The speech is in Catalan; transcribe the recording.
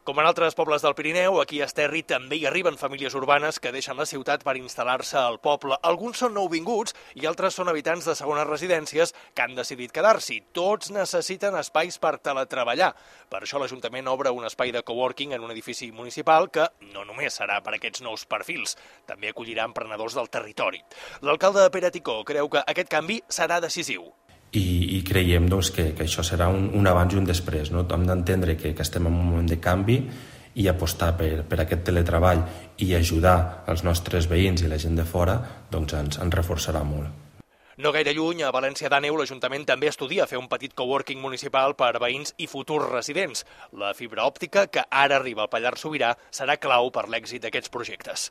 Com en altres pobles del Pirineu, aquí a Esterri també hi arriben famílies urbanes que deixen la ciutat per instal·lar-se al poble. Alguns són nouvinguts i altres són habitants de segones residències que han decidit quedar-s'hi. Tots necessiten espais per teletreballar. Per això l'Ajuntament obre un espai de coworking en un edifici municipal que no només serà per aquests nous perfils, també acollirà emprenedors del territori. L'alcalde Pere Ticó creu que aquest canvi serà decisiu. I creiem que això serà un abans i un després. Hem d'entendre que estem en un moment de canvi i apostar per aquest teletreball i ajudar els nostres veïns i la gent de fora ens reforçarà molt. No gaire lluny, a València d'Àneu, l'Ajuntament també estudia fer un petit coworking municipal per veïns i futurs residents. La fibra òptica, que ara arriba al Pallars Sobirà, serà clau per l'èxit d'aquests projectes.